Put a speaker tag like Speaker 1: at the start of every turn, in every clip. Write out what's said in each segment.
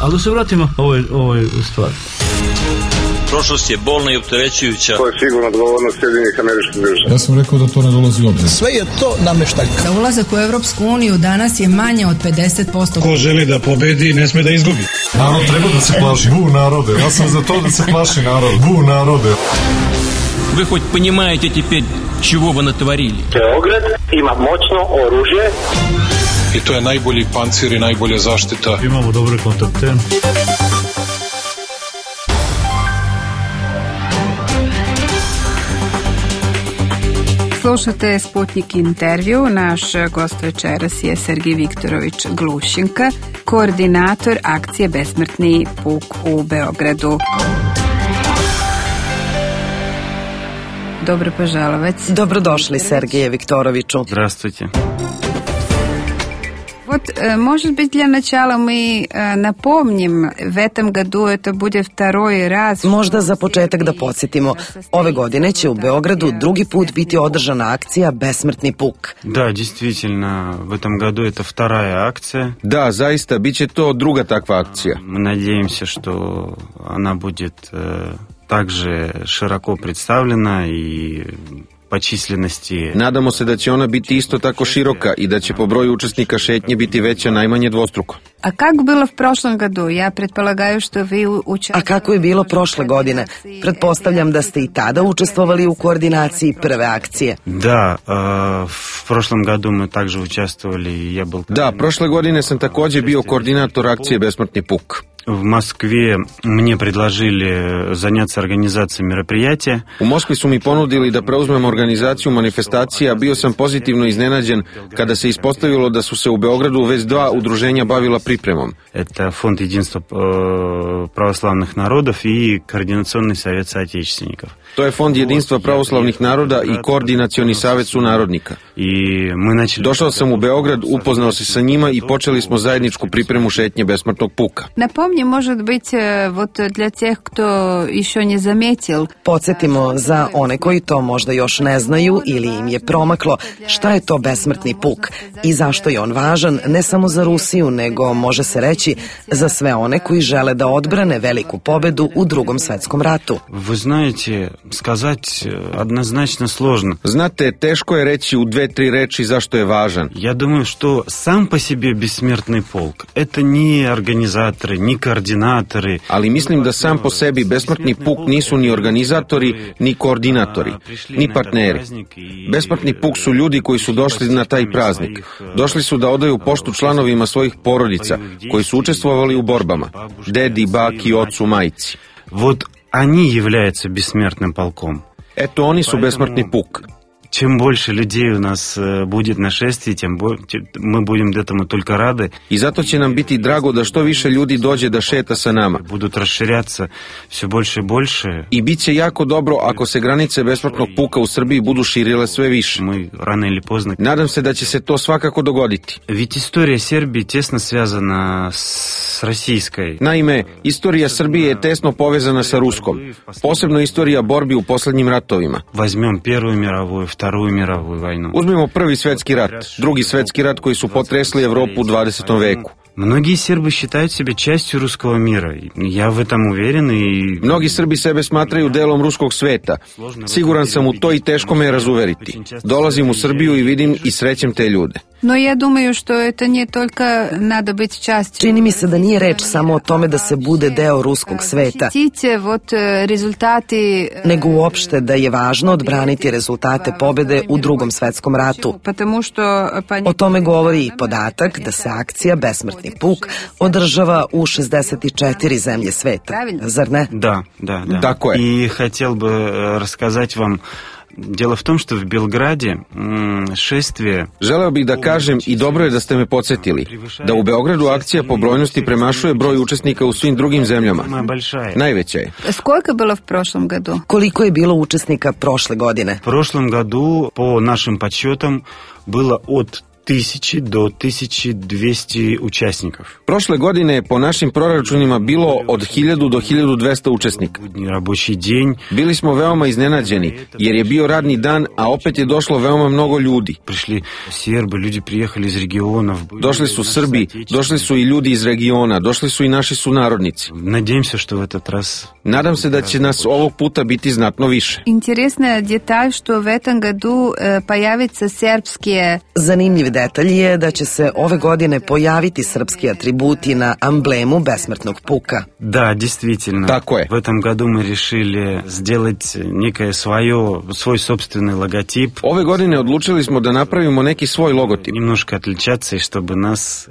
Speaker 1: Ali da se vratimo ovoj stvari.
Speaker 2: Prošlost je bolna i opterećujuća.
Speaker 3: To je sigurno odgovornost Sjedinjenih Američkih Država.
Speaker 4: Ja sam rekao da to ne dolazi u obzir.
Speaker 5: Sve je to nameštaljka.
Speaker 6: Za ulazak u Evropsku uniju danas je manje od 50%.
Speaker 7: Ko želi da pobedi, ne sme da izgubi.
Speaker 4: Narod treba da se plaši. Bu narode. Ja sam za to da se plaši narod. Bu narode.
Speaker 8: Вы хоть понимаете теперь, чего вы натворили?
Speaker 3: Beograd ima moćno oružje.
Speaker 4: I to je najbolji pancir i najbolja zaštita.
Speaker 1: Imamo dobre kontakte.
Speaker 9: Slušate Sputnik intervju. Naš gost večeras je Sergij Viktorović Glušinka, koordinator akcije Besmrtni puk u Beogradu. Dobro poželovec.
Speaker 10: Dobrodošli, Sergeje Viktoroviću.
Speaker 8: Здравствуйте.
Speaker 9: Вот, может быть, для начала мы напомним, в этом году это будет второй раз.
Speaker 10: Možda za početak da podsjetimo. Ove godine će u Beogradu drugi put biti održana akcija Besmrtni puk.
Speaker 8: Да, действительно, в этом году это вторая акция.
Speaker 11: Da, zaista, bit će to druga takva akcija.
Speaker 8: Мы надеемся, что она будет также широко представлена и po čislenosti.
Speaker 11: Nadamo se da će ona biti isto tako široka i da će po broju učesnika šetnje biti veća najmanje dvostruko.
Speaker 9: A kako bilo v prošlom godu? Ja pretpostavljam što vi učestvovali.
Speaker 10: A kako je bilo prošle godine? Pretpostavljam da ste i tada učestvovali u koordinaciji prve akcije.
Speaker 8: Da, v prošlom godu мы также участвовали, я был.
Speaker 11: Da, prošle godine sam također bio koordinator akcije Besmrtni puk.
Speaker 8: В Москве мне предложили заняться организацией мероприятия.
Speaker 11: U Moskvi su mi ponudili da preuzmem organizaciju manifestacija, bio sam pozitivno iznenađen kada se ispostavilo da su se u Beogradu već dva udruženja bavila pripremom.
Speaker 8: Это Фонд единства православных народов и Координационный совет соотечественников.
Speaker 11: To je Fond jedinstva pravoslavnih naroda i Koordinacioni savet sunarodnika. Došao sam u Beograd, upoznao se sa njima i počeli smo zajedničku pripremu šetnje Besmrtnog puka.
Speaker 9: Напомни, может быть, вот для тех, кто еще не заметил.
Speaker 10: Podsjetimo za one koji to možda još ne znaju ili im je promaklo, šta je to Besmrtni puk i zašto je on važan ne samo za Rusiju, nego može se reći za sve one koji žele da odbrane veliku pobedu u Drugom svetskom ratu.
Speaker 8: Вы знаете, сказать однозначно сложно.
Speaker 11: Znate, teško je reći u 2-3 reči zašto je važan.
Speaker 8: Я думаю, что сам по себе Бессмертный полк это не организаторы, ni koordinatori.
Speaker 11: Ali mislim da sam po sebi Besmrtni puk nisu ni organizatori, ni koordinatori, ni partneri. Besmrtni puk su ljudi koji su došli na taj praznik. Došli su da odaju poštu članovima svojih porodica, koji su učestvovali u borbama. Dedi, baki, ocu, majci.
Speaker 8: Вот они являются Бессмертным полком.
Speaker 11: Eto, oni su Besmrtni puk.
Speaker 8: Чем больше людей у нас будет на шествии, тем мы будем этому только рады.
Speaker 11: I zato će nam biti drago da što više ljudi dođe da šeta sa nama.
Speaker 8: Будут расширяться все больше и больше.
Speaker 11: I bit će jako dobro ako se granice Besmrtnog puka u Srbiji budu širile sve više.
Speaker 8: Мы рано или поздно.
Speaker 11: Nadam se da će se to svakako dogoditi.
Speaker 8: Ведь история Сербии тесно связана с российской.
Speaker 11: Naime, istorija Srbije je tesno povezana sa ruskom. Posebno istorija borbi u poslednjim ratovima.
Speaker 8: Возьмем Первую мировую, Вторую мировую войну.
Speaker 11: Uzmimo Prvi svetski rat, Drugi svetski rat koji su potresli Evropu u 20. veku.
Speaker 8: Многие сербы считают себя частью русского мира. Я в этом уверен и...
Speaker 11: Mnogi Srbi sebe smatraju delom ruskog sveta. Siguran sam u to i teško me je razuveriti. Dolazim u Srbiju i vidim i srećem te ljude.
Speaker 9: Но я думаю, что это не только надо быть частью.
Speaker 10: Čini mi se da nije reč samo o tome da se bude deo ruskog sveta, nego uopšte da je važno odbraniti rezultate pobede u Drugom svetskom ratu. O tome govori i podatak da se akcija Besmrtni puk održava u 64 zemlje sveta. Zar ne?
Speaker 8: Да.
Speaker 11: Tako je.
Speaker 8: И хотел бы рассказать вам. Дело в том, что в Белграде шествие...
Speaker 11: Želeo bih da kažem, i dobro je da ste me podsjetili, da u Beogradu akcija po brojnosti premašuje broj učesnika u svim drugim zemljama. Najveća je.
Speaker 9: Сколько было в прошлом году?
Speaker 10: Koliko je bilo učesnika prošle godine?
Speaker 8: В прошлом году, по нашим подсчетам, было от 1000 do 1200 участников.
Speaker 11: Prošle godine je po našim proračunima bilo od 1000 do 1200 učesnika.
Speaker 8: Рабочий день.
Speaker 11: Bili smo veoma iznenađeni, jer je bio radni dan, a opet je došlo veoma mnogo ljudi.
Speaker 8: Пришли сербы, люди приехали из регионов.
Speaker 11: Došli su Srbi, došli su i ljudi iz regiona, došli su i naši sunarodnici.
Speaker 8: Надеемся, что в этот раз.
Speaker 11: Nadam se da će nas ovog puta biti znatno više.
Speaker 9: Интересная деталь, что в этом году появятся сербские...
Speaker 10: Zanimljiv detalj je da će se ove godine pojaviti srpski atributi na amblemu besmrtnog puka.
Speaker 8: Да, действительно.
Speaker 11: Tako je.
Speaker 8: В этом году мы решили сделать некое свой собственный логотип.
Speaker 11: Ove godine odlučili smo da napravimo neki svoj logotip.
Speaker 8: Немножко отличаться, и чтобы нас...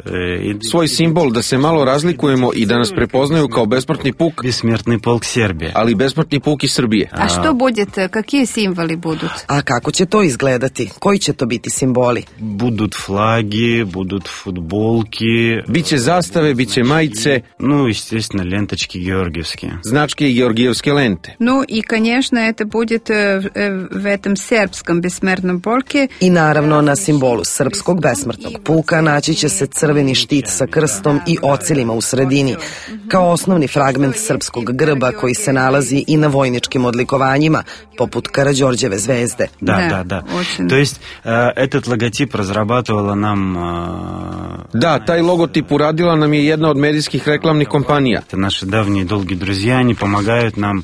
Speaker 11: Svoj simbol, da se malo razlikujemo i da nas prepoznaju kao besmrtni puk.
Speaker 8: Бессмертный полк Сербии.
Speaker 11: Ali besmrtni puk iz Srbije.
Speaker 9: А что будет, какие символы будут?
Speaker 10: A kako će to izgledati? Koji će to biti simboli?
Speaker 8: Будут флаги, будут футболки.
Speaker 11: Biće zastave, biće majice.
Speaker 8: Ну, естественно, ленточки георгиевские.
Speaker 11: Značke i georgijevske lente.
Speaker 9: Ну и, конечно, это будет в этом сербском бессмертном полке.
Speaker 10: I naravno na simbolu srpskog besmrtnog puka naći će se crveni štit sa krstom i ocilima u sredini, kao osnovni fragment srpskog grba koji se nalazi i na vojničkim odlikovanjima, poput Karađorđeve zvezde.
Speaker 8: Да. То есть этот логотип разрабатывала нам...
Speaker 11: Da, taj logotip uradila nam je jedna od medijskih reklamnih kompanija.
Speaker 8: Это наши давние долгие друзья, они помогают нам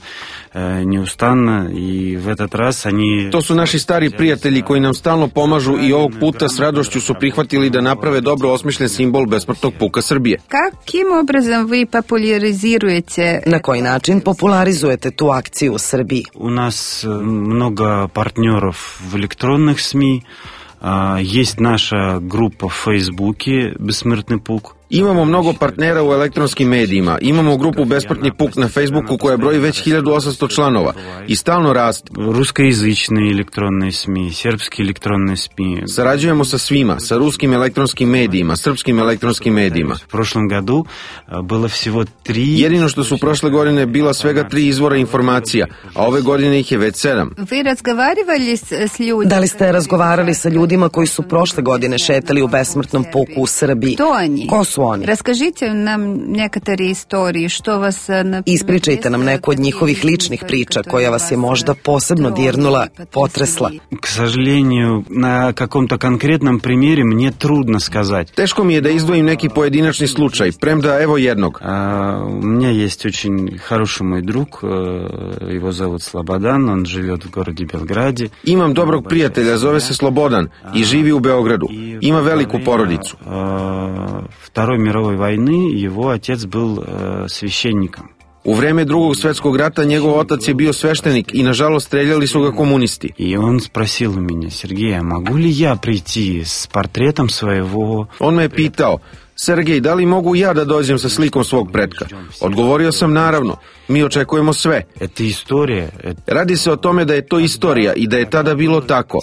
Speaker 8: неустанно, и в этот раз они...
Speaker 11: To su naši stari prijatelji koji nam stalno pomažu i ovog puta s radošću su prihvatili da naprave dobro osmišljen simbol besmrtnog puka Srbije.
Speaker 9: Каким образом вы популяризируете?
Speaker 10: Na koji način popularizujete tu akciju u Srbiji?
Speaker 8: У нас много партнеров в электронных СМИ, есть наша группа в Фейсбуке «Бессмертный полк».
Speaker 11: Imamo mnogo partnera u elektronskim medijima. Imamo grupu Besmrtni puk na Facebooku koja broji već 1800 članova i stalno raste.
Speaker 8: Русскоязычные электронные СМИ, сербские электронные СМИ.
Speaker 11: Sarađujemo sa svima, sa ruskim elektronskim medijima, srpskim elektronskim medijima.
Speaker 8: В прошлом году было всего 3.
Speaker 11: Jedino što su prošle godine bila svega 3 izvora informacija, a ove godine ih je već 7.
Speaker 9: Вы разговаривали с людьми?
Speaker 10: Da li ste razgovarali sa ljudima koji su prošle godine šetali u besmrtnom puku u Srbiji?
Speaker 9: Кто они?
Speaker 10: Ko su oni?
Speaker 9: Расскажите нам некоторые истории, что вас...
Speaker 10: Ispričajte nam neku od njihovih ličnih priča koja vas je možda posebno dirnula, potresla.
Speaker 8: К сожалению, на каком-то конкретном примере мне трудно сказать.
Speaker 11: Teško mi je da izdvojim neki pojedinačni slučaj, premda evo jednog.
Speaker 8: У меня есть очень хороший мой друг, его зовут Слободан, он живет в городе Белграде.
Speaker 11: Imam dobrog prijatelja, zove se Slobodan i živi u Beogradu. Ima veliku porodicu.
Speaker 8: Второй мировой войны его отец был священником.
Speaker 11: U vreme Drugog svetskog rata njegov otac je bio sveštenik i nažalost streljali su ga komunisti.
Speaker 8: И он спросил у меня: Сергей, а могу ли я прийти с портретом своего...
Speaker 11: On me je pitao: Sergej, da li mogu ja da dođem sa slikom svog pretka? Odgovorio sam naravno, mi očekujemo sve.
Speaker 8: Это история.
Speaker 11: Radi se o tome da je to istorija i da je tada bilo tako,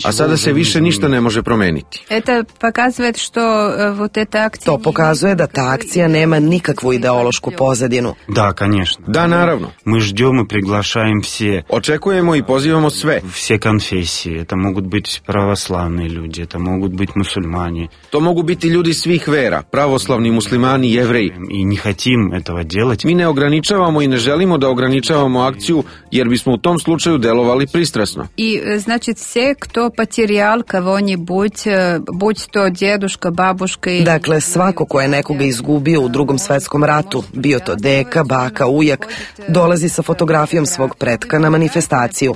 Speaker 11: a sada se više ništa ne može promeniti.
Speaker 9: Это показывает, что вот эта акция...
Speaker 10: To pokazuje da ta akcija nema nikakvu ideološku pozadinu.
Speaker 8: Да, конечно.
Speaker 11: Da, naravno.
Speaker 8: Мы ждем и приглашаем все.
Speaker 11: Očekujemo i pozivamo sve.
Speaker 8: Все конфессии. Это могут быть православные люди, это могут быть мусульмане.
Speaker 11: To mogu biti ljudi svih vera, pravoslavni, muslimani, jevreji.
Speaker 8: И не хотим этого делать.
Speaker 11: Mi ne ograničavamo i ne želimo da ograničavamo akciju, jer bismo u tom slučaju delovali pristrasno.
Speaker 9: И, значит, все, кто потерял кого-нибудь, будь то дедушка, бабушка...
Speaker 10: Dakle, svako ko je nekoga izgubio u Drugom svetskom ratu, bio to deka, baka, ujak, dolazi sa fotografijom svog pretka na manifestaciju.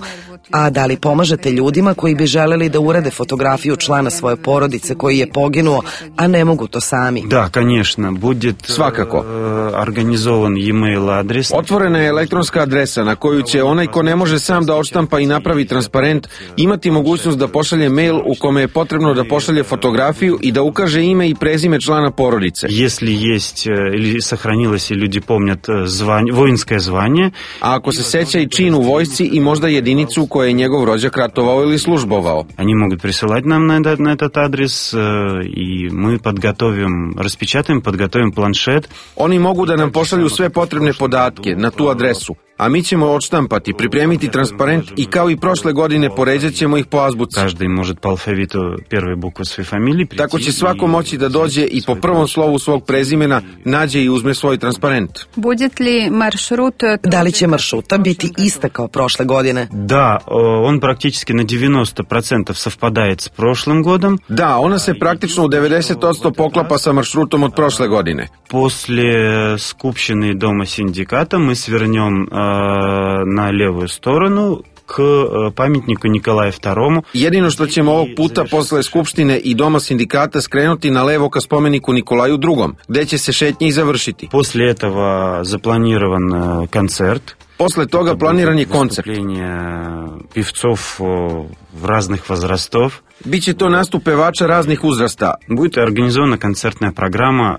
Speaker 10: A da li pomažete ljudima koji bi želeli da urade fotografiju člana svoje porodice koji je poginuo, a ne mogu to sami?
Speaker 8: Да, конечно, будет
Speaker 11: Svakako.
Speaker 8: Организован e-mail адрес.
Speaker 11: Otvorena je elektronska adresa na koju će onaj ko ne može sam da odštampa i napravi transparent imati mogućnost da pošalje mail u kome je potrebno da pošalje fotografiju i da ukaže ime i prezime člana porodice.
Speaker 8: Если есть или сохранилось, и люди помнят воинское звание.
Speaker 11: A ako se seća i čin u vojsci i možda jedinicu koja je njegov rođak ratovao ili službovao.
Speaker 8: Они могут присылать нам на этот адрес, и мы подготовим планшет.
Speaker 11: Oni mogu da nam pošalju sve potrebne podatke na tu adresu, a mi ćemo odštampati, pripremiti transparent i kao i prošle godine poređat ćemo ih po azbuci.
Speaker 8: Каждый может по алфавиту первой буквы своей фамилии прийти.
Speaker 11: Tako će svako moći da dođe i po prvom slovu svog prezimena nađe i uzme svoj transparent.
Speaker 9: Будет ли маршрут...
Speaker 10: Da li će maršruta biti ista kao prošle godine?
Speaker 8: Да, он практически на 90% совпадает с прошлым годом.
Speaker 11: Da, ona se praktično u 90% poklapa sa maršrutom od prošle godine.
Speaker 8: После skupštine Дома синдиката мы свернем на левую сторону к памятнику Николаю II.
Speaker 11: Jedino što ćemo ovog puta posle Skupštine i Doma sindikata skrenuti na levo ka spomeniku Nikolaju II, gde će se šetnje i završiti.
Speaker 8: После этого запланирован концерт.
Speaker 11: Posle toga planiran je koncert.
Speaker 8: Певцов разных возрастов.
Speaker 11: Biće to nastup pevača raznih uzrasta.
Speaker 8: Будет организована концертная программа.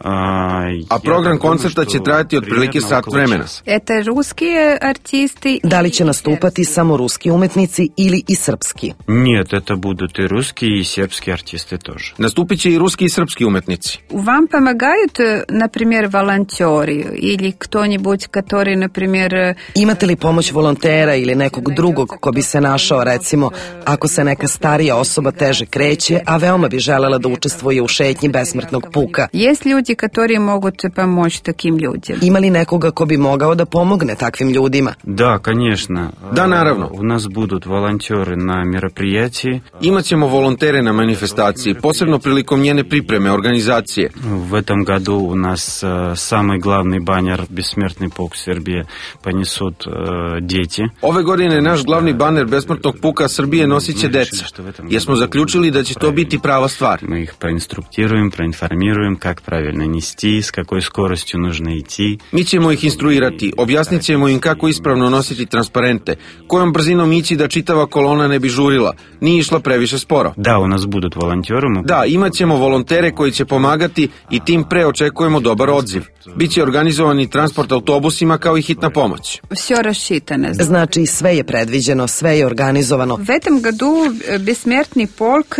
Speaker 11: A program koncerta će trajati otprilike sat vremena.
Speaker 9: Это русские артисты?
Speaker 10: Da li će nastupati samo ruski umetnici ili i srpski?
Speaker 8: Нет, это будут и русские, и сербские артисты тоже.
Speaker 11: Nastupit će i ruski i srpski umetnici.
Speaker 9: Вам помогают, например, волонтеры или кто-нибудь, который, например...
Speaker 10: Imate li pomoć volontera ili nekog drugog ko bi se našao, recimo, ako se neka starija osoba teže kreće, a veoma bi želela da učestvuje u šetnji besmrtnog puka?
Speaker 9: Есть люди, которые могут помочь таким людям?
Speaker 10: Ima li nekoga ko bi mogao da pomogne takvim ljudima?
Speaker 8: Да, конечно.
Speaker 11: Da, naravno.
Speaker 8: У нас будут волонтеры на мероприятии.
Speaker 11: Imaćemo volontere na manifestaciji, posebno prilikom njene pripreme, organizacije.
Speaker 8: В этом году у нас самый главный баннер «Бессмертный полк Сербije» понесут дети.
Speaker 11: Ove godine naš glavni baner besmrtnog puka Srbije nosit će deca, jer smo zaključili da će to biti prava stvar.
Speaker 8: Мы их проинструктируем, проинформируем, как правильно нести, с какой скоростью нужно идти.
Speaker 11: Mi ćemo ih instruirati, objasnit ćemo im kako ispravno nositi transparente, kojom brzinom ići da čitava kolona ne bi žurila, nije išla previše sporo.
Speaker 8: Да, у нас будут волонтеры.
Speaker 11: Da, imat ćemo volontere koji će pomagati i tim pre očekujemo dobar odziv. Biće organizovani transport autobusima kao i hitna pomoć.
Speaker 9: Все рассчитано.
Speaker 10: Znači, sve je predviđeno, sve je organizovano.
Speaker 9: В этом году бессмертный полк,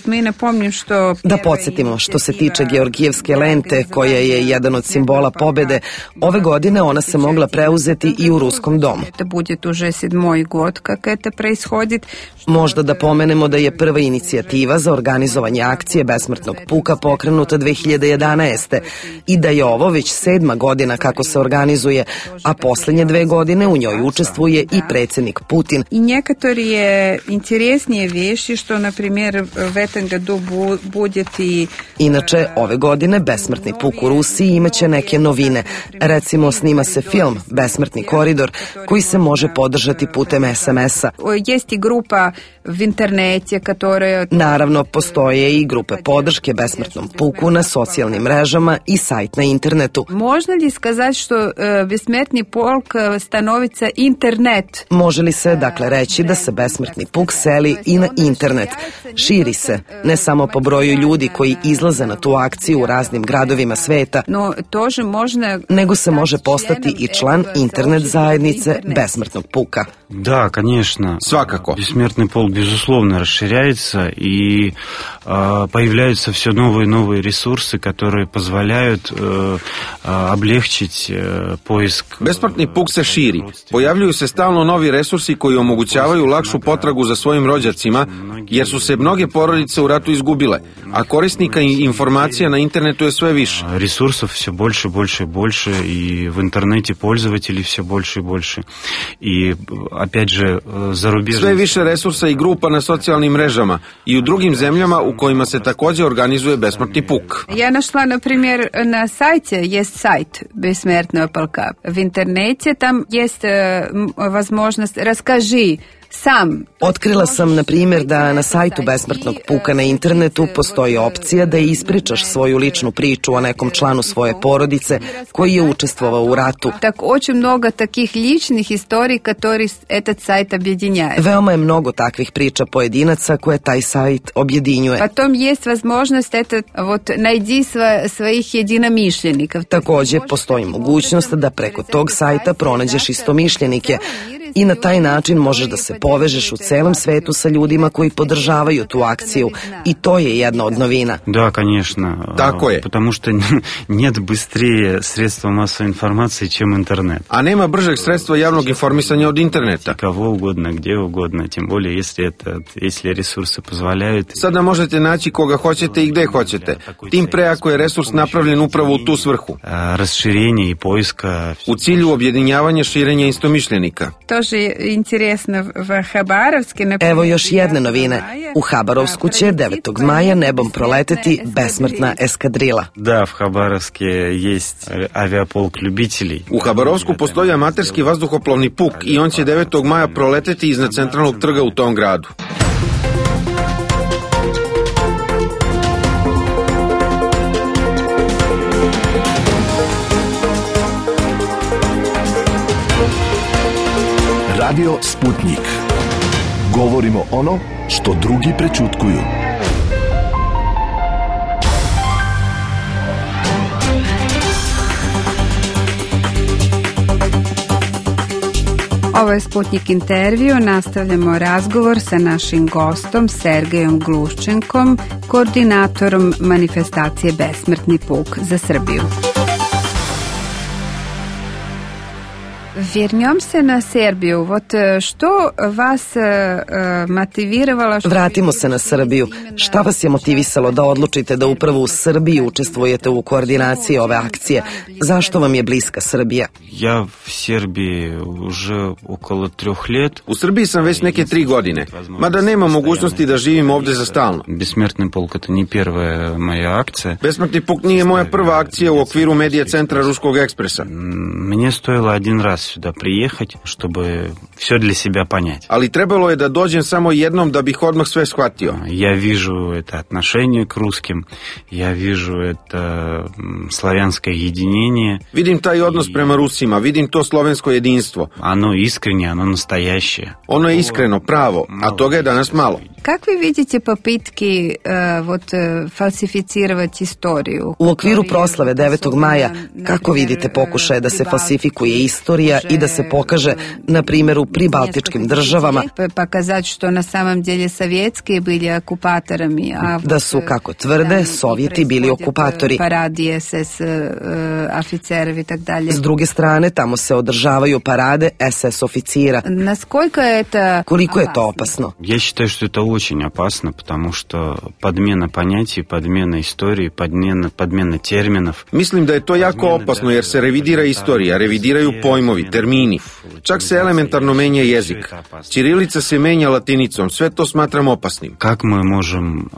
Speaker 9: мы напомним, что...
Speaker 10: Da podsjetimo, što se tiče Georgijevske lente, koja je jedan od simbola pobede, ove godine ona se mogla preuzeti i u Ruskom domu.
Speaker 9: Это будет уже 7. год, как это происходит.
Speaker 10: Možda da pomenemo da je prva inicijativa za organizovanje akcije besmrtnog puka pokrenuta 2011. i da je ovo već 7. godina kako se organizuje, a poslednje 2 godine u njoj učestvuje i predsjednik Putin.
Speaker 9: И некоторые интереснее вещи, что, например, в этом году будет и...
Speaker 10: Inače, ove godine besmrtni puk u Rusiji imaće neke novine. Recimo, snima se film Besmrtni koridor, koji se može podržati putem SMS-a.
Speaker 9: Есть и группа в интернете, которая...
Speaker 10: Naravno, postoje i grupe podrške besmrtnom puku na socijalnim mrežama i sajt na internetu.
Speaker 9: Можно ли сказать, что бессмертный полк становится интернет?
Speaker 10: Može li se, dakle, reći da se besmrtni puk seli i na internet? Širi se, ne samo po broju ljudi koji izlaze na tu akciju u raznim gradovima sveta,
Speaker 9: Но тоже можно...
Speaker 10: nego se može postati i član internet zajednice besmrtnog puka.
Speaker 8: Да, конечно.
Speaker 11: Свакако.
Speaker 8: Бессмертный полк, безусловно, расширяется, и появляются все новые и новые ресурсы, которые позволяют облегчить поиск.
Speaker 11: Besmrtni puk se širi. Pojavljuju se stalno novi resursi koji omogućavaju lakšu potragu za svojim rođacima, jer su se mnoge porodice u ratu izgubile, a korisnika i informacija na internetu je sve više.
Speaker 8: Ресурсов все больше, больше и больше, и в интернете пользователей все больше и больше. И, опять же, зарубежные...
Speaker 11: Sve više resursa i grupa na socijalnim mrežama i u drugim zemljama u kojima se takođe organizuje besmrtni puk.
Speaker 9: Я нашла, например, на сайте, есть сайт Бессмертного полка. В интернете там есть возможность «Расскажи». Sam.
Speaker 10: Otkrila sam, na primjer, da na sajtu besmrtnog puka na internetu postoji opcija da ispričaš svoju ličnu priču o nekom članu svoje porodice koji je učestvovao u ratu.
Speaker 9: Так очень много таких личных историй, которые этот сайт объединяет.
Speaker 10: Veoma je mnogo takvih priča pojedinaca koje taj sajt objedinjuje.
Speaker 9: Потом есть возможность это вот найди своих единомышленников.
Speaker 10: Takođe, postoji mogućnost da preko tog sajta pronađeš istomišljenike. i na taj način možeš da se povežeš u celom svetu sa ljudima koji podržavaju tu akciju i to je jedna od novina.
Speaker 8: Да, конечно.
Speaker 11: Tako je.
Speaker 8: Потому что нет быстрее средства массовой информации, чем интернет.
Speaker 11: A nema bržeg sredstva javnog informisanja od interneta.
Speaker 8: Кого угодно, где угодно, тем более, если rесурсы позволяют.
Speaker 11: Sada možete naći koga hoćete i gde hoćete. Tim pre ako je resurs napravljen upravo u tu svrhu.
Speaker 8: Расширение и поиска.
Speaker 11: U cilju objedinjavanja širenja istomišljenika.
Speaker 9: Тоже интересно в Хабаровске.
Speaker 10: Evo još jedne novine. U Habarovsku će 9. maja nebom proleteti besmrtna eskadrila.
Speaker 8: Да, в Хабаровске есть авиаполк любителей.
Speaker 11: U Habarovsku postoji amaterski vazduhoplovni puk i on će 9. maja proleteti iznad centralnog trga u tom gradu.
Speaker 5: Radio Sputnik. Govorimo ono što drugi prećutkuju.
Speaker 9: Ovo je Sputnik intervju. Nastavljamo razgovor sa našim gostom Sergejom Gluščenkom, koordinatorom manifestacije Besmrtni puk za Srbiju. Вернем се на Сербiju. Вот što vas motiviralo?
Speaker 10: Vratimo se na Srbiju. Šta vas je motivisalo da odlučite da upravo u Srbiji učestvujete u koordinaciji ove akcije? Zašto vam je bliska Srbija?
Speaker 8: Ja v Srbiji уже около 3 лет.
Speaker 11: U Srbiji sam već neke 3 godine, mada nema mogućnosti da živim ovde za stalno.
Speaker 8: Besmrtni puk это не первая моя акция.
Speaker 11: Besmrtni puk nije moja prva akcija u okviru medija centra Ruskog ekspresa.
Speaker 8: Мне стоило один раз сюда приехать, чтобы все для себя понять.
Speaker 11: Ali trebalo je da dođem samo jednom da bih odmah sve shvatio.
Speaker 8: Я вижу это отношение к русским, я вижу это славянское единение.
Speaker 11: Vidim taj odnos prema Rusima, vidim to slovensko jedinstvo.
Speaker 8: Оно искреннее, оно настоящее.
Speaker 11: Ono je iskreno, pravo, a toga je danas malo.
Speaker 9: Как вы видите попытки falsificировать историю?
Speaker 10: U okviru proslave 9. maja, kako vidite pokušaje da se falsifikuje istorija i da se pokaže, na primjer, u pribaltičkim državama,
Speaker 9: Показать, что на самом деле советские были оккупаторами,
Speaker 10: da su, kako tvrde, Sovjeti bili okupatori.
Speaker 9: Паради СС офицеров и так далее.
Speaker 10: S druge strane, tamo se održavaju parade SS oficira.
Speaker 9: Насколько это
Speaker 10: Koliko je to opasno?
Speaker 8: Я считаю, что это очень опасно, потому что подмена понятий, подмена истории, подмена терминов.
Speaker 11: Mislim da je to jako opasno jer se revidira istorija, revidiraju pojmovi, termini. Čak se elementarno menja jezik. Ćirilica se menja latinicom, sve to smatram opasnim.
Speaker 8: Как мы можем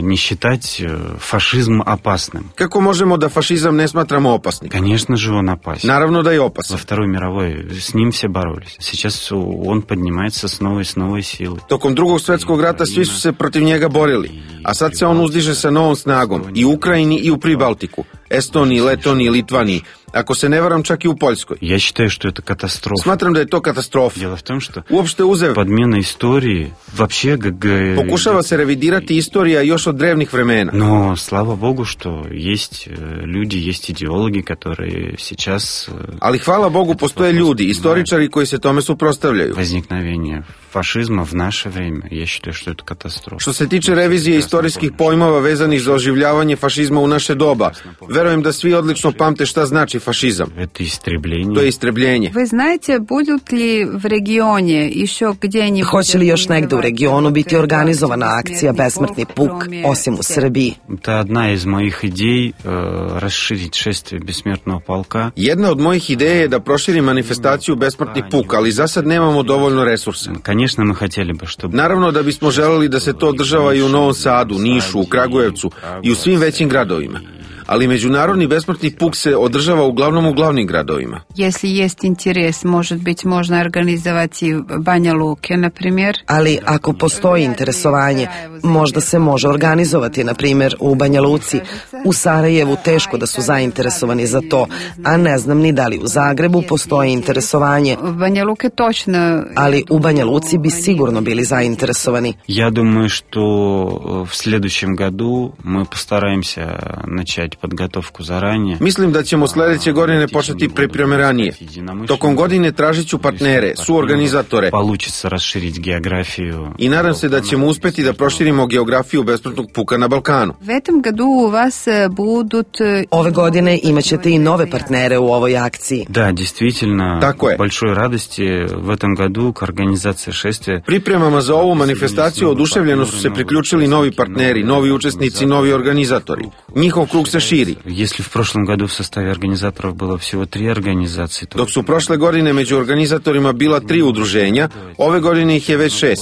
Speaker 8: не считать фашизм опасным?
Speaker 11: Kako možemo da fašizam ne smatramo opasnim?
Speaker 8: Конечно же, он опасен.
Speaker 11: Naravno da je
Speaker 8: Во
Speaker 11: opasan.
Speaker 8: Второй мировой с ним все боролись. Сейчас он поднимается с новой силой.
Speaker 11: Tokom drugog svetskog rata svi su se protiv njega borili, a sad se on uzdiže sa novom snagom i u Ukrajini i u Pribaltiku, Estoniji, Letoniji, Litvaniji, ako se ne varam čak i u Poljskoj.
Speaker 8: Я считаю, что это катастрофа.
Speaker 11: Smatram da je to katastrofa.
Speaker 8: Дело в том, что
Speaker 11: Uopšte uzev,
Speaker 8: подмена истории вообще
Speaker 11: pokušava se revidirati istorija još od drevnih vremena.
Speaker 8: Но слава богу, что есть люди, есть идеологи, которые сейчас
Speaker 11: Ali hvala Bogu postoje ljudi, istoričari koji se tome suprotstavljaju.
Speaker 8: возникновение фашизма в наше время. Я считаю, что это катастрофа.
Speaker 11: Što se tiče revizije istorijskih pojmova vezanih za oživljavanje fašizma u naše doba, verujem da svi odlično pamte šta znači fašizam.
Speaker 8: Это истребление.
Speaker 11: To je istrebljenje.
Speaker 9: Вы знаете, будут ли в регионе еще где-нибудь...
Speaker 10: Hoće li još negde u regionu biti organizovana akcija Besmrtni puk, osim u Srbiji?
Speaker 8: Это одна из моих идей расширить шествие бессмертного полка.
Speaker 11: Jedna od mojih ideja je da proširim manifestaciju Besmrtni puk, ali za sad nemamo dovoljno resursa.
Speaker 8: Конечно, мы хотели бы, чтобы...
Speaker 11: Naravno da bismo želeli da se to održava i u Novom Sadu, Nišu, u Kragujevcu i u svim većim gradovima. Ali međunarodni besmrtni puk se održava uglavnom u glavnim gradovima.
Speaker 9: Если есть интерес, может быть, можно организовать и в Бanja Luke, например.
Speaker 10: Ali ako postoji interesovanje, možda se može organizovati, na primjer, u Banja Luci. U Sarajevu teško da su zainteresovani za to, a ne znam ni da li u Zagrebu postoji interesovanje.
Speaker 9: В Бanja Luke точно.
Speaker 10: Ali u Banja Luci bi sigurno bili zainteresovani.
Speaker 8: Я думаю, что в следующем году мы постараемся начать начать подготовку заранее.
Speaker 11: Mislim da ćemo sledeće godine početi pripreme ranije. Tokom godine tražit ću partnere, suorganizatore.
Speaker 8: Получится расширить географию.
Speaker 11: I nadam se da ćemo uspeti da proširimo geografiju besplatnog puka na Balkanu.
Speaker 9: В этом году у вас будут...
Speaker 10: Ove godine imaćete i nove partnere u ovoj akciji.
Speaker 8: Да, действительно,
Speaker 11: Tako je.
Speaker 8: большой радости в этом году к организации шествия.
Speaker 11: Pripremama za ovu manifestaciju oduševljeno su se priključili novi partneri, novi učesnici, novi organizatori. Njihov krug se širi.
Speaker 8: Если в прошлом году в составе организаторов было всего 3 организации, то...
Speaker 11: Dok su prošle godine među organizatorima bila 3 udruženja, ove godine ih je već 6.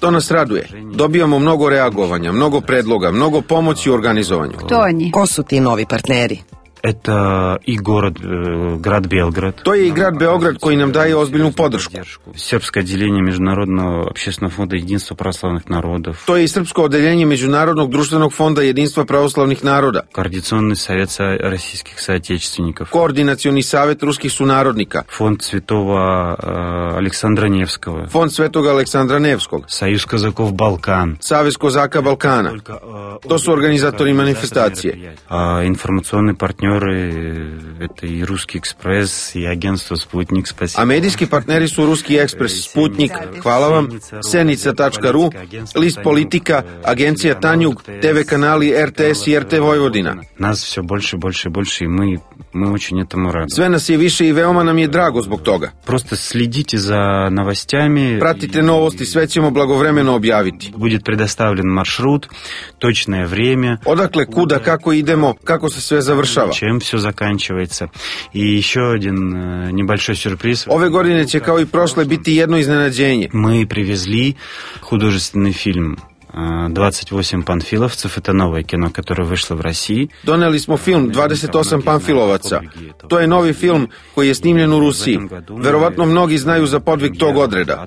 Speaker 11: To nas raduje. Dobijamo mnogo reagovanja, mnogo predloga, mnogo pomoći u organizovanju.
Speaker 9: Кто они?
Speaker 10: Ko su ti novi partneri?
Speaker 8: Это и град Белград.
Speaker 11: To je i grad Beograd koji nam daje ozbiljnu podršku.
Speaker 8: Српское отделение Международного общественного фонда Единства православных народов.
Speaker 11: To je i srpsko odeljenje Međunarodnog društvenog fonda Jedinstva pravoslavnih naroda.
Speaker 8: Координационный совет российских соотечественников.
Speaker 11: Koordinacioni savet ruskih sunarodnika.
Speaker 8: Фонд Святого Александра Невского.
Speaker 11: Fond Svetog Aleksandra Nevskog.
Speaker 8: Союз казаков Балкан.
Speaker 11: Savez kozaka Balkana. To su organizatori manifestacije.
Speaker 8: Информационные партнеры это и Русский экспресс, и агентство Спутник. Спасибо.
Speaker 11: A medijski partneri su Ruski ekspres, Sputnik, hvala vam, Senica.ru, List Politika, Agencija Tanjug, TV kanali RTS i RT Vojvodina.
Speaker 8: Нас все больше, больше, больше, и мы очень этому рады.
Speaker 11: Sve nas je više i veoma nam je drago zbog toga.
Speaker 8: Просто следите за новостями.
Speaker 11: Pratite novosti, sve ćemo blagovremeno objaviti.
Speaker 8: Будет предоставлен маршрут, точное время.
Speaker 11: Odakle, kuda, kako idemo, kako se sve završava.
Speaker 8: Чем все заканчивается. И еще один небольшой сюрприз.
Speaker 11: Ove godine će kao i prošle biti jedno iznenađenje.
Speaker 8: Мы привезли художественный фильм 28 панфиловцев. Это новое кино, которое вышло в России.
Speaker 11: Doneli smo film 28 Panfilovaca. To je novi film koji je snimljen u Rusiji. Verovatno mnogi znaju za podvig tog odreda.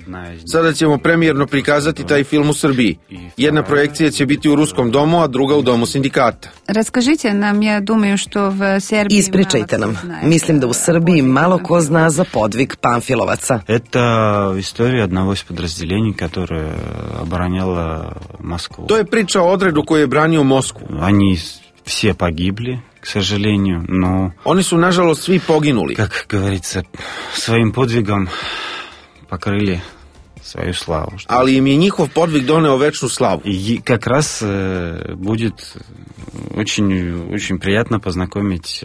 Speaker 11: Sada ćemo premijerno prikazati taj film u Srbiji. Jedna projekcija će biti u Ruskom domu, a druga u Domu sindikata.
Speaker 9: Расскажите нам, я думаю, что в Сербии...
Speaker 10: Ispričajte nam. Mislim da u Srbiji malo ko zna za podvig Panfilovaca.
Speaker 8: Это история одного из подразделений, которое обороняло Москву.
Speaker 11: To je priča o odredu koji je branio Moskvu.
Speaker 8: Они все погибли, к сожалению, но...
Speaker 11: Oni su, nažalost, svi poginuli.
Speaker 8: Как говорится, своим подвигом покрыли свою славу.
Speaker 11: Ali im je njihov podvig doneo večnu slavu.
Speaker 8: И как раз будет очень приятно познакомить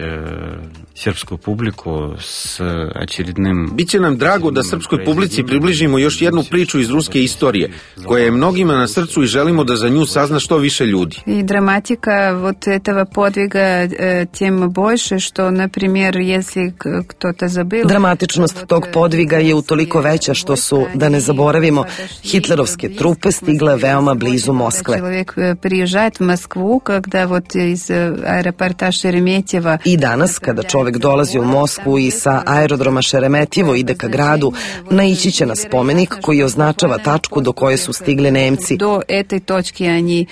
Speaker 8: сербскую публику с очередным...
Speaker 11: Biće nam drago da srpskoj publici približimo još jednu priču iz ruske istorije, koja je mnogima na srcu i želimo da za nju sazna što više ljudi.
Speaker 9: И драматика вот этого подвига тем больше, что, например, если кто-то забыл...
Speaker 10: Dramatičnost tog podviga je utoliko veća što su, da ne zaboravimo, hitlerovske trupe stigle veoma blizu Moskve.
Speaker 9: Человек приезжает в Москву, когда вот из аэропорта Шереметьево...
Speaker 10: I danas, kada čovek dolazi u Moskvu i sa aerodroma Šeremetjevo ide ka gradu, naići će na spomenik koji označava tačku do koje su stigli Nemci.
Speaker 9: До этой точки они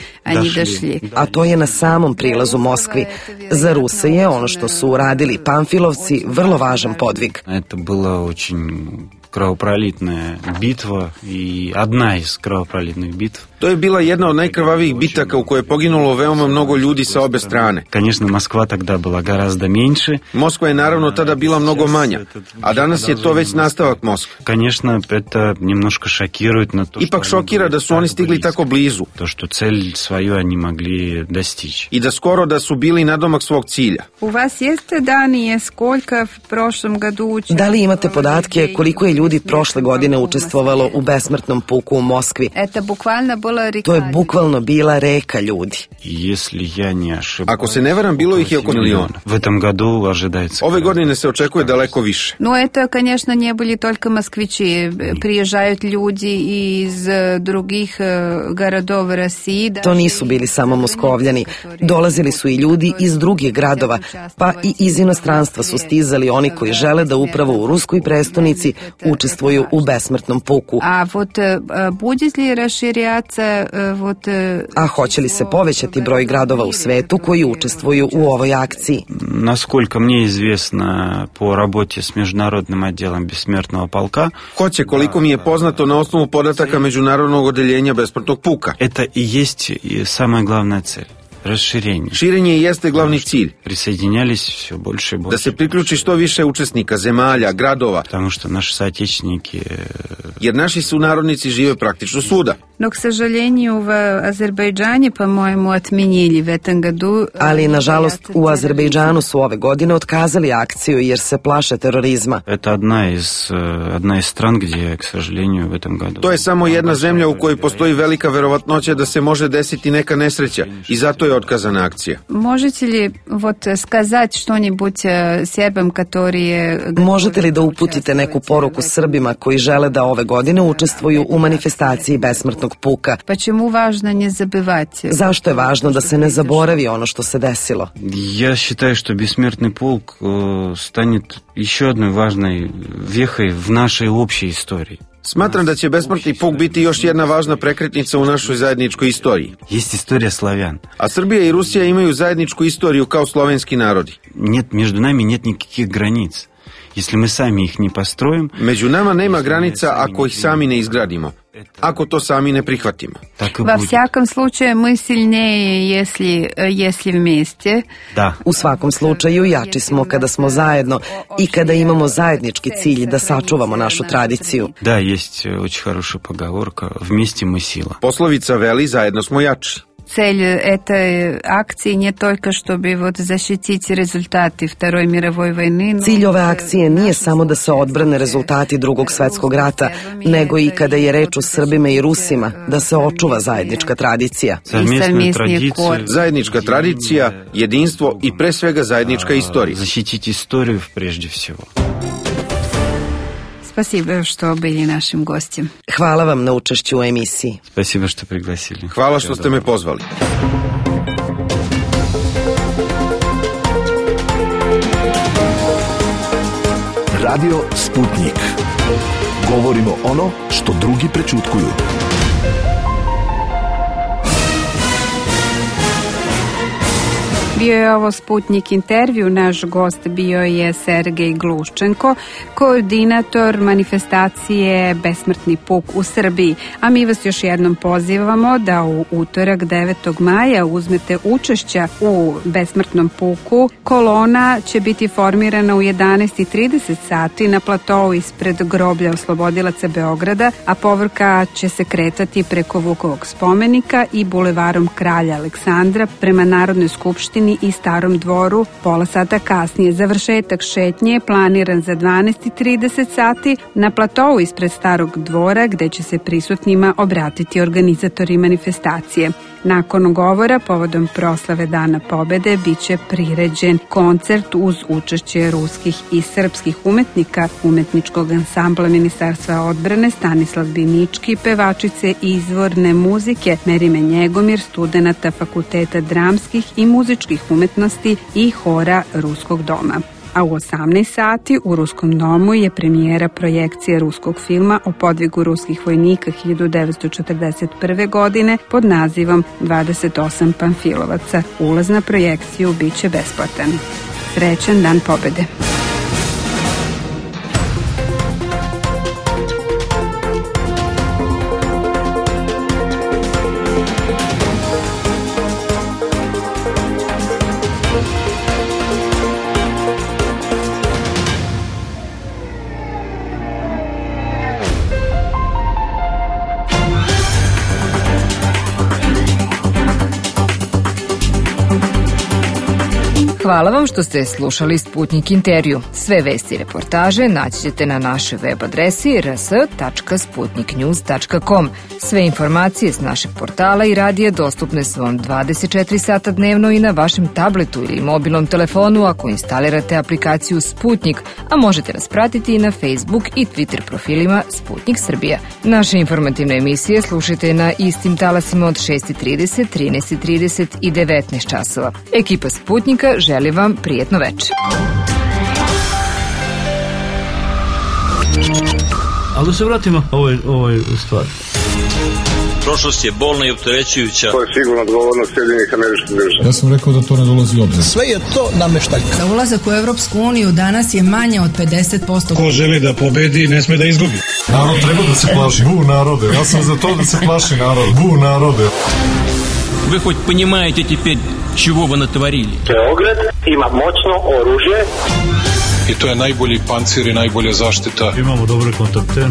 Speaker 9: дошли.
Speaker 10: A to je na samom prilazu Moskvi. Za Ruse je ono što su uradili Panfilovci vrlo važan podvig.
Speaker 8: Это было очень кровопролитная битва и одна из кровопролитных битв.
Speaker 11: To je bila jedna od najkrvavijih bitaka u kojoj je poginulo veoma mnogo ljudi sa obe strane.
Speaker 8: Конечно, Москва тогда была гораздо меньше.
Speaker 11: Moskva je naravno tada bila mnogo manja, a danas je to već nastavak Moskve.
Speaker 8: Конечно, это немножко шокирует, но то,
Speaker 11: Ipak šokira da su oni stigli tako blizu.
Speaker 8: То, что цель свою они могли достичь.
Speaker 11: I da skoro da su bili nadomak svog cilja.
Speaker 9: У вас есть данные, сколько в прошлом году...
Speaker 10: Da li imate podatke koliko je ljudi prošle godine učestvovalo u besmrtnom puku u Moskvi?
Speaker 9: Это буквально было...
Speaker 10: To je bukvalno bila reka ljudi.
Speaker 8: Если я не ошибаюсь.
Speaker 11: Ako se ne varam, bilo ih je oko miliona.
Speaker 8: В этом году ожидается.
Speaker 11: Ove godine se očekuje daleko više.
Speaker 9: Но это, конечно, не были только москвичи. Приезжают люди из других городов России.
Speaker 10: To nisu bili samo Moskovljani. Dolazili su i ljudi iz drugih gradova, pa i iz inostranstva su stizali oni koji žele da upravo u ruskoj prestonici učestvuju u besmrtnom puku.
Speaker 9: A вот будет ли расширяться вот...
Speaker 10: A hoće li se povećati broj gradova u svetu koji učestvuju u ovoj akciji?
Speaker 8: Насколько мне известно по работе с международным отделом бессмертного полка,
Speaker 11: Hoće, koliko mi je poznato na osnovu podataka Međunarodnog odeljenja besmrtnog puka.
Speaker 8: это и есть и самая главная цель.
Speaker 11: Širenje jeste glavni cilj.
Speaker 8: Присоединялись все больше и больше.
Speaker 11: Da se priključi što više učesnika, zemalja, gradova.
Speaker 8: Потому что наши соотечественники...
Speaker 11: Jer naši sunarodnici žive praktično svuda.
Speaker 9: Но, к сожалению, в Азербайджане, по-моему, отменили в этом году...
Speaker 10: Ali, nažalost, u Azerbejdžanu su ove godine otkazali akciju jer se plaše terorizma.
Speaker 8: Это одна из стран, где, к сожалению, в этом году...
Speaker 11: To je samo jedna zemlja u kojoj postoji velika verovatnoća da se može desiti neka nesreća i zato je otkazana akcija.
Speaker 9: Можете ли сказать что-нибудь сербам, которые...
Speaker 10: Možete li da uputite neku poruku Srbima koji žele da ove godine učestvuju u manifestaciji besmrtnog puka?
Speaker 9: Почему важно не забывать?
Speaker 10: Zašto je važno da se ne zaboravi ono što se desilo?
Speaker 8: Я считаю, что бессмертный полк станет еще одной важной вехой в нашей общей истории.
Speaker 11: Smatram da će besmrtni puk biti još jedna važna prekretnica u našoj zajedničkoj istoriji.
Speaker 8: Есть история славян.
Speaker 11: A Srbija i Rusija imaju zajedničku istoriju kao slovenski narodi.
Speaker 8: Между нами нет никаких границ. Если мы сами их не построим...
Speaker 11: Među nama nema granica ako ih sami ne izgradimo. Ako to sami ne prihvatimo.
Speaker 9: Во всяком случае, мы сильнее, если вместе.
Speaker 8: Da.
Speaker 10: U svakom slučaju, jači smo kada smo zajedno i kada imamo zajednički cilj da sačuvamo našu tradiciju.
Speaker 8: Да, есть очень хорошая поговорка «Вместе мы сила».
Speaker 11: Poslovica veli zajedno smo jači.
Speaker 9: Цель этой акции не только, чтобы защитить результаты Второй мировой войны.
Speaker 10: Cilj ove akcije nije samo da se odbrane rezultati Drugog svetskog rata, nego i kada je reč o Srbima i Rusima, da se očuva zajednička tradicija.
Speaker 11: Zajednička tradicija, jedinstvo i pre svega zajednička istorija.
Speaker 8: Защитить историю прежде всего.
Speaker 9: Спасибо, что были нашим гостем.
Speaker 10: Hvala vam na učešću u emisiji.
Speaker 8: Спасибо, что пригласили.
Speaker 11: Hvala što ste me pozvali.
Speaker 5: Radio Sputnik. Govorimo ono što drugi prećutkuju.
Speaker 9: Bio je ovo Sputnik intervju, naš gost bio je Sergej Gluščenko, koordinator manifestacije Besmrtni puk u Srbiji. A mi vas još jednom pozivamo da u utorak 9. maja uzmete učešća u Besmrtnom puku. Kolona će biti formirana u 11:30 sati na platovu ispred groblja oslobodilaca Beograda, a povorka će se kretati preko Vukovog spomenika i bulevarom Kralja Aleksandra prema Narodnoj skupštini i Starom dvoru. Pola sata kasnije završetak šetnje je planiran za 12:30 sati na platovu ispred Starog dvora, gde će se prisutnima obratiti organizatori manifestacije. Nakon govora povodom proslave Dana pobede biće priređen koncert uz učešće ruskih i srpskih umetnika, umetničkog ansambla Ministarstva odbrane Stanislav Binički, pevačice izvorne muzike Merime Njegomir, studenata Fakulteta dramskih i muzičkih umetnosti i hora Ruskog doma. A u 18 sati u Ruskom domu je premijera projekcije ruskog filma o podvigu ruskih vojnika 1941. godine pod nazivom 28 Pamfilovaca. Ulaz na projekciju biće besplatan. Srećan Dan pobede!
Speaker 12: Hvala vam što ste slušali Sputnik intervju. Sve vesti i reportaže naći ćete na našoj web adresi rs.sputniknews.com. Sve informacije s našeg portala i radija dostupne su vam 24 sata dnevno i na vašem tabletu ili mobilnom telefonu ako instalirate aplikaciju Sputnik, a možete nas pratiti i na Facebook i Twitter profilima Sputnik Srbija. Naše informativne emisije slušajte na istim talasima od 6:30, 13:30 i 19 časova. Ekipa Sputnika želi vam prijetno večer.
Speaker 1: Ali da se vratimo ovoj stvari.
Speaker 2: Prošlost je bolna i opterećujuća.
Speaker 3: To je sigurno odgovornost Sjedinjenih Američkih Država.
Speaker 4: Ja sam rekao da to ne dolazi u obzir.
Speaker 6: Sve je to nameštaljka. Za ulazak u Evropsku uniju danas je manje od 50%.
Speaker 7: Ko želi da pobedi, ne sme da izgubi.
Speaker 4: Narod treba da se plaši. Bu narode. Ja sam za to da se plaši narod. Bu narode.
Speaker 13: Вы хоть понимаете теперь, чего вы натворили?
Speaker 14: Beograd ima moćno oružje.
Speaker 4: I to je najbolji pancir i najbolja zaštita.
Speaker 1: Imamo dobre kontakte.